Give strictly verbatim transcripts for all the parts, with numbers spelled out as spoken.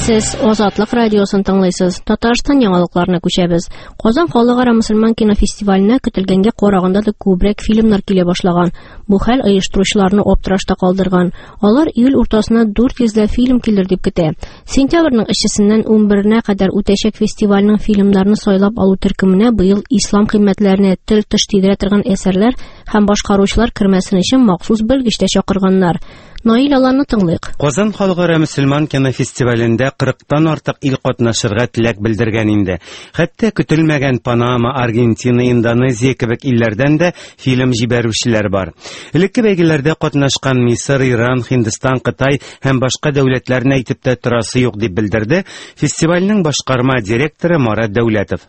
Сез Азатлык радиосын тыңлыйсыз. Татарстан яңалыкларына күчәбез. Казан халыкара мөселман кинофестиваленә көтелгәнгә караганда да күбрәк фильмнар килә башлаган. Бу хәл оештыручыларны аптырашта калдырган. Алар июль уртасына дүрт йөзләп фильм килер дип көтә. Сентябрьнең өчесеннән унберенә кадәр үтәчәк фестивальнең фильмнарны сайлап алу төркеменә быел ислам кыйммәтләренә тел-теш тидерә торган әсәрләр һәм башкаручылар кермәсен өчен махсус белгеч тә чакырганнар. Наил Аланны тыңлыйк. Казан халыкара мөселман кинофестивалендә кырыктан артык ил катнашырга теләк белдергән инде. Хәтта көтелмәгән Панама, Аргентина, Индонезия кебек илләрдән дә фильм җибәрүчеләр бар. Элекке бәйгеләрдә катнашкан Мисыр, Иран, Һиндстан, Кытай һәм башка дәүләтләрне әйтеп тә торасы юк дип белдерде фестивальнең башкарма директоры Марат Дәүләтов.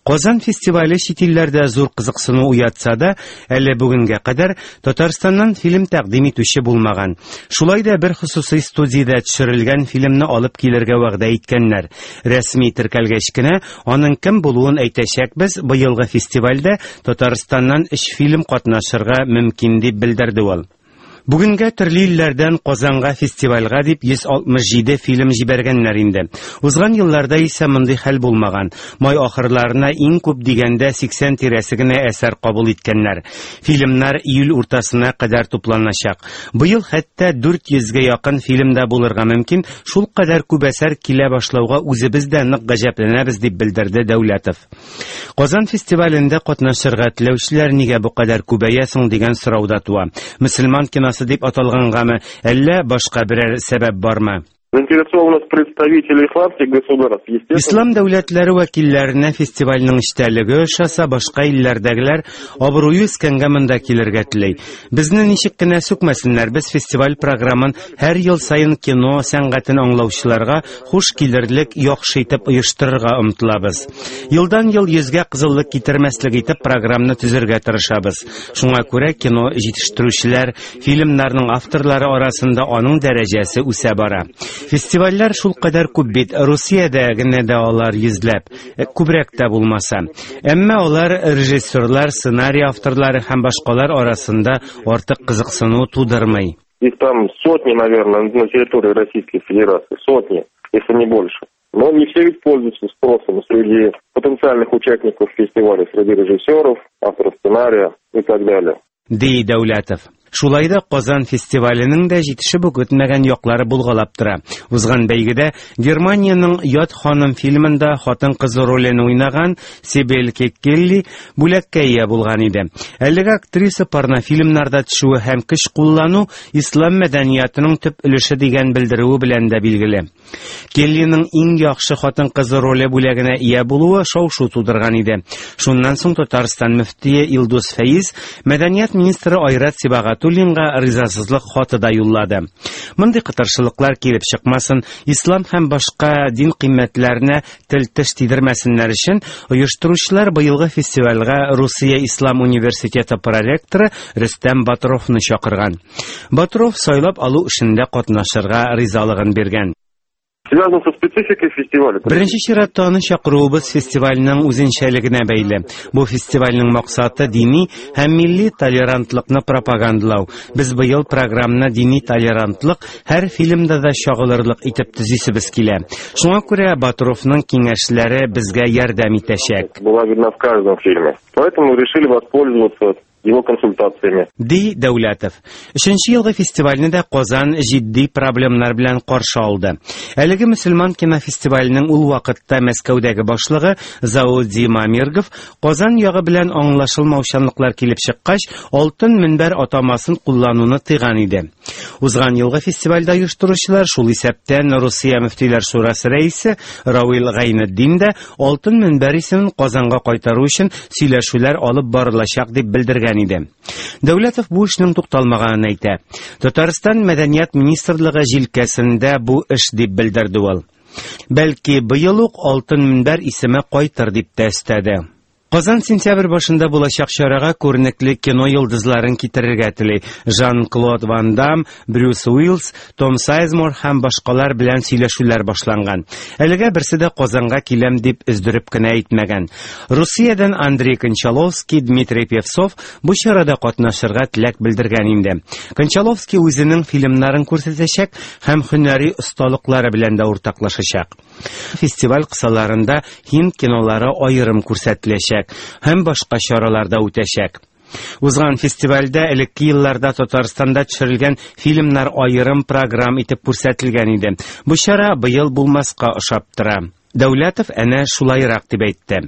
Казан фестивале чит илләрдә зур кызыксыну уятса да, әле бүгенгә кадәр Татарстаннан фильм тәкъдим итүче булмаган. Шулай да бер хосусый студиядә төшерелгән фильмны алып килергә вәгъдә иткәннәр. Рәсми теркәлгәч кенә аның кем булуын әйтәчәкбез. Быелгы фестивальдә Татарстаннан өч фильм катнашырга мөмкин дип белдерде ул. Бүгенгә төрле илләрдән Казанга фестивальгә дип йөз алтмыш җиде фильм җибәргәннәр инде. Узган елларда исә мондый хәл булмаган. Май ахырларына иң күп дигәндә сиксән тирәсе генә әсәр кабул иткәннәр. Фильмнар июль уртасына кадәр тупланачак. Быел хәтта дүрт йөзгә якын фильм да булырга мөмкин. Шул кадәр күп әсәр килә башлауга үзебез дә нык гаҗәпләнәбез дип белдерде Дәүләтов. Казан фестивалендә катнашырга теләүчеләр нигә бу кадәр күбәя соң дигән сорау да туа. Мөселман киносы дип аталгангамы, әллә башка берәр сәбәп бармы? Заинтересованность представителей исламских государств, естественно. Ислам дәүләтләре вәкилләренә фестивальнең эчтәлеге ошаса, башка илләрдәгеләр абруе үскәнгә монда килергә тели. Безне ничек кенә сүкмәсеннәр, без фестиваль програмын һәр ел саен кино сәнгатен аңлаучыларга хуш килерлек яхшы итеп оештырырга омтылабыз. Елдан ел йөзгә кызыллык китермәслек итеп програмны төзергә тырышабыз. Шуңа күрә кино җитештерүчеләр, фильмнарның авторлары арасында аның дәрәҗәсе үсә бара. Фестивальләр шул кадәр күп бит, Русиядә генә дә алар йөзләп, күбрәк тә булмаса. Әмма алар режиссерлар, сценарий авторлары һәм башкалар арасында артык кызыксыну тудырмый. Их там сотни, наверное, на территории Российской Федерации, сотни, если не больше. Но не все ведь пользуются спросом среди потенциальных участников фестиваля, среди режиссеров, авторов сценария и так далее. Ди Дәүләтов. Шулай да Казан фестиваленең дә җитешеп үк үтмәгән яклары булгалап тора. Узган бәйгедә Германиянең Ят ханым фильмында хатын-кыз ролен уйнаган Сибел Кеккелли бүләккә ия булган иде. Әлеге актриса порнофильмнарда төшүе һәм көч куллану ислам мәдәниятының төп өлеше дигән белдерүе белән дә билгеле. Келлиның иң яхшы хатын-кыз роле бүләгенә ия булуы шау-шу тудырган иде. Шуннан соң Татарстан мөфтие Илдус Фәиз мәдәният министры Айрат Сибагатуллинга ризасызлык хаты да юллады. Мондый кытыршылыклар килеп чыкмасын, ислам һәм башка дин кыйммәтләренә тел-теш тидермәсеннәр өчен оештыручылар быелгы фестивальгә Русия Ислам университеты проректоры Рөстәм Батровны чакырган. Батров сайлап алу эшендә катнашырга ризалыгын биргән. Связано со спецификой фестиваля. Беренче чиратта аны чакыруыбыз фестивальнең үзенчәлегенә бәйле. Бу фестивальнең максаты дини һәм милли толерантлыкны пропагандалау. Без быел программны дини толерантлык һәр фильмда да чагылырлык итеп төзисебез килә. Шуңа күрә Батровның киңәшләре безгә ярдәм итәчәк. Была видна в каждом фильме. Поэтому решили воспользоваться его консультациями. Ди Дәүләтов. Өченче елгы фестивальне дә Казан җитди проблемнар белән каршы алды. Әлеге мөселман кинофестиваленең ул вакытта Мәскәүдәге башлыгы Зауди Мамиргов Казан ягы белән аңлашылмаучанлыклар килеп чыккач, Алтын мөнбәр атамасын куллануны тыйган иде. Узган елгы фестивальдә оештыручылар, шул исәптән Русия Мөфтиләр Шурасы рәисе Равил Гайнетдин дә Алтын мөнбәр исемен Казанга кайтару өчен сөйләшүләр алып барылачак дип белдергән иде. Дәүләтов бу эшнең тукталмаганын әйтә. Татарстан Мәдәният министрлыгы җилкәсендә бу эш дип белдерде ул. Бәлки быел ук Алтын мөнбәр исеме кайтыр дип тә өстәде. Казан сентябрь башында булачак чарага күренекле кино йолдызларын китерергә тели. Жан-Клод Ван Дамм, Брюс Уиллис, Том Сайзмор һәм башкалар белән сөйләшүләр башланган. Әлегә берсе дә Казанга киләм дип өздереп кенә әйтмәгән. Русиядән Андрей Кончаловский, Дмитрий Певцов бу чарада катнашырга теләк белдергән инде. Кончаловский үзенең фильмнарын күрсәтәчәк һәм һөнәри осталыклары белән дә уртаклашачак. Фестиваль кысаларында һинд кинолары аерым күрсәтеләчәк һәм башка чаралар да үтәчәк. Узган фестивальдә элекке елларда Татарстанда төшерелгән фильмнар аерым программ итеп күрсәтелгән иде. Бу чара быел булмаска ошап тора. Дәүләтов әнә шулайрак дип әйтте.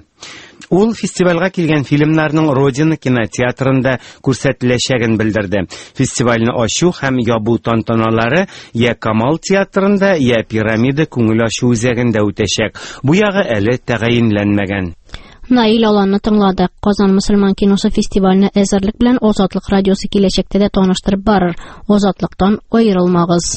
Ул фестивальгә килгән фильмнарның Родина кинотеатрында күрсәтеләчәген белдерде. Фестивальне ачу һәм ябу тантаналары я Камал театрында, я Пирамида күңел ачу үзәгендә үтәчәк. Бу ягы әле тәгаенләнмәгән. Наил Аланны тыңладык. Казан мөселман киносы фестиваленә әзерлек белән Азатлык радиосы киләчәктә дә таныштырып барыр. Азатлыктан аерылмагыз.